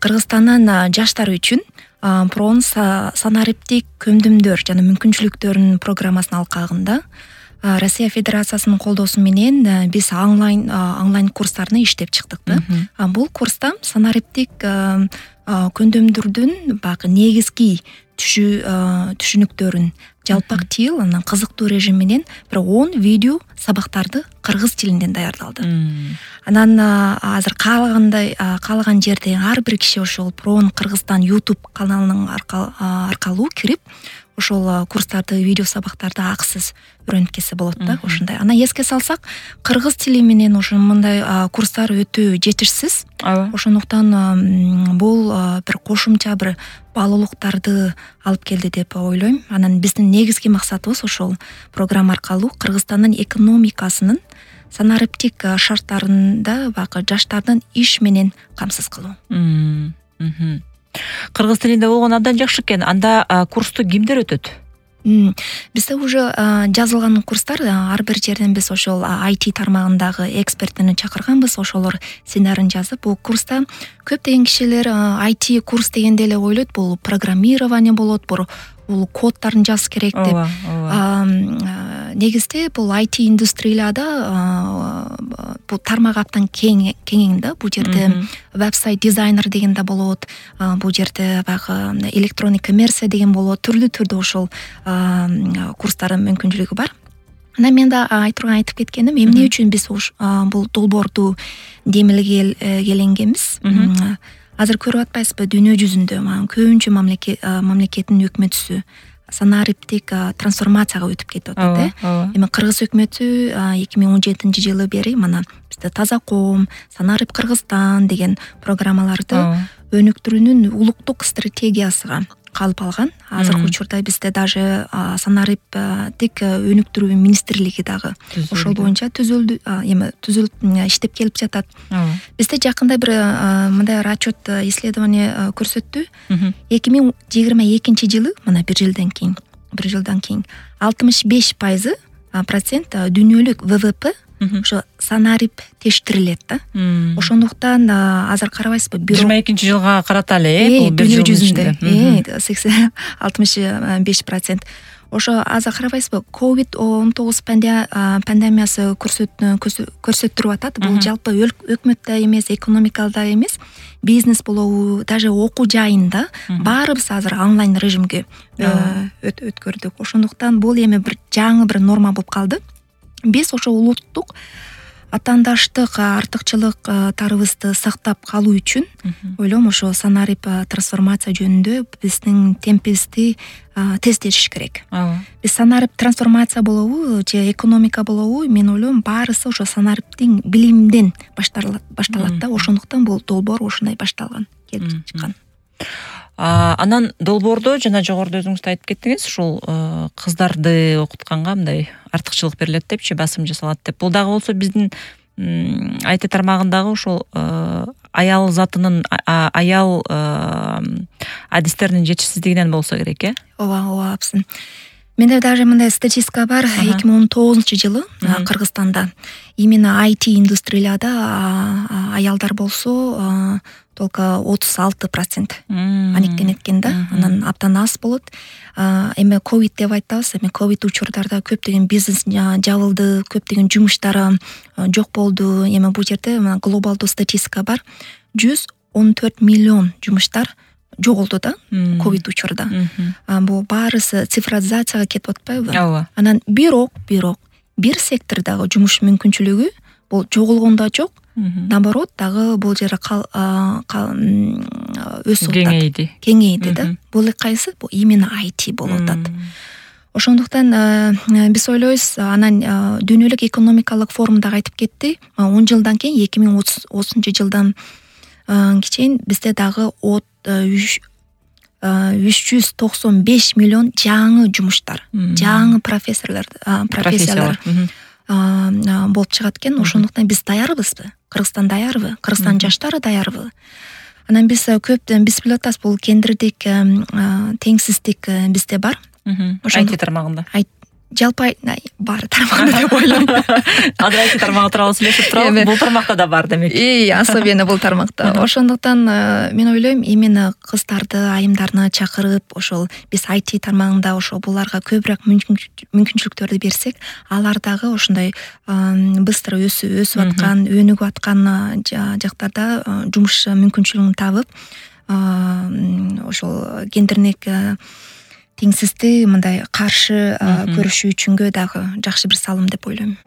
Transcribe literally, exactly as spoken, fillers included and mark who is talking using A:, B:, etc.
A: Кыргызстандын жаштары үчүн проон санариптик көмдөмдөр жана мүмкүнчүлүктөрүнүн программасынын алкагында Россия Федерациясынын колдоосу менен биз онлайн онлайн курстарны иштеп чыктык да. Бул курста санариптик көмдөмдөрдүн баягы негизги түшүнүктөрүн жалпак тил, анан кызыктуу режим менен бир он видео сабактарды кыргыз тилинен даярдалды. Анан азыр каалагандай каалаган жерде ар бир киши ошол проон Кыргызстан YouTube каналынын аркылуу кирип ошол курстарды, видео сабактарды акысыз үйрөнүп кетсе болот да, ошондой. Анан эске салсак, кыргыз тили менен ошо мындай курстар өтө жетишсиз. Ошондуктан бул бир кошумча бир баалуулуктарды алып келди деп ойлойм. Анан биздин негизги максатыбыз ошол программа аркылуу Кыргызстандын экономикасынын санариптик шарттарында баягы жаштардын иш менен камсыз кылуу.
B: Кыргыз тилинде болгон абдан жакшы экен. Анда курсту кимдер өтөт?
A: Бизде уже жазылган курстар, ар бир жерден биз ошол ай ти тармагындагы эксперттерди чакырганбыз, ошолор сценарийин жазып, бул курста көптөгөн кишилер ай ти курс дегенде эле ойлойт, бул программирование болот, бул коддорун жазыш керек деп. Негизде бул ай ти индустрияларда бул тармак абдан кең да. Бул жерде веб-сайт дизайнер деген да болот, бул жерде баягы электронный коммерция деген болот, түрлүү-түрдүү ошол курстардын мүмкүнчүлүгү бар. Анан мен да айтырган айтып кеткеним, эмне үчүн биз бул долбоорду демилгеленгенбиз. Азыр көрүп атпайсызбы, дүйнө жүзүндө көбүнчө мамлекеттин өкмөтүсү санариптик трансформацияга өтүп кетип атат да. Эми Кыргыз өкмөтү эки миң он жетинчи жылы бери мана бизде Таза ком, Санарип Кыргызстан деген программаларды өнүктүрүүнүн улуттук стратегиясыга калып алган. Азыркы учурда бизде даже санариптик өнүктүрүү министрлиги дагы ошол боюнча түзүлдү, эми түзүлүп иштеп келип жатат. Бизде жакында бир мындай отчет, исследование көрсөттү. эки миң жыйырма экинчи жылы, мына бир жылдан кийин, бир жылдан кийин алтымыш беш пайызы процент дүйнөлүк вэ вэ пэ ошо санариптештирилет да. Ошондуктан азыр карабайсызбы,
B: жыйырма экинчи жылга карата эле
A: бул дүйнө жүзүндө алтымыш беш процент. Ошо азыр карабайсызбы, ковид он тогуз пандемиясы көрсөттүрүп атат. Бул жалпы өкмөттө эмес, экономикалда эмес, бизнес болобу, даже окуу жайында баарыбыз азыр онлайн режимге өткөрдүк. Ошондуктан бул эми бир жаңы бир норма болуп калды. Биз ошо улуттук атаандаштык артыкчылыктарыбызды сактап калуу үчүн ойлойм, ошо санарип трансформация жөнүндө биздин темпибизди тездетиш керек. Биз санарип трансформация болобу же экономика болобу, мен ойлойм, баарысы ошо санариптин билимден башталат да. Ошондуктан бул долбоор ошондой башталган, келип чыккан.
B: Анан долбоордо жана жогоруда өзүңүз да айтып кеттиңиз, ушул кыздарды окутканга мындай артыкчылык берилет депчи, басым жасалат деп. Бул дагы болсо биздин ай ти тармагындагы ушул аял затынын, аял адистеринин жетишсиздигинен болсо керек, э?
A: Ооба, ооба, апсын. Менде даже мындай статистика бар. эки миң он тогузунчу жылы Кыргызстанда именно ай ти индустрияларда аялдар болсо только отуз алты процент аниктенет экен да. Анан абдан аз болот. Эми ковид деп айтабыз, эми ковид учурдарда көптөгөн бизнес жабылды, көптөгөн жумуштар жок болду. Эми бул жерде глобалдуу статистика бар. жүз он төрт миллион жумуштар жоголду да ковид учурда. Бул баарысы цифровизацияга кетип атпайбы?
B: Ооба.
A: Анан бирок, бирок бир сектордагы жумуш мүмкүнчүлүгү бул жоголгон да жок. Наоборот, дагы бул жерде өсүп
B: кеңейди.
A: Кеңейди да. Бул кайсы? Бул именно ай ти болуп атат. Ошондуктан биз ойлойбуз, анан дүйнөлүк экономикалык форумда айтып кетти, он жылдан кийин эки миң отузунчу жылдан кийин бизде дагы үч жүз токсон беш миллион жаңы жумуштар, жаңы профессорлор, профессиялар болуп чыгат экен. Ошондуктан биз даярбызбы? Кыргызстан даярбы? Кыргызстан жаштары даярбы? Анан биз көп биз билип атабыз, бул гендердик теңсиздик бизде бар.
B: ай ти тармагында.
A: жалпы бар тармагында деп ойлойм.
B: Азыр айти тармагы тууралуу сүйлөшүп турабыз. Бул тармакта да бар демек.
A: И особенно бул тармакта. Ошондуктан мен ойлойм, именно кыздарды, айымдарды чакырып, ошол биз айти тармагында ошо буларга көбүрөөк мүмкүнчүлүктөрдү берсек, алар дагы ошондой быстро өсүп өсүп аткан, өнүгүп аткан жактарда жумуш мүмкүнчүлүгүн табып, ошол гендердик теңсиздикти мындай каршы көрүшү үчүнгө дагы жакшы бир салым деп ойлойм.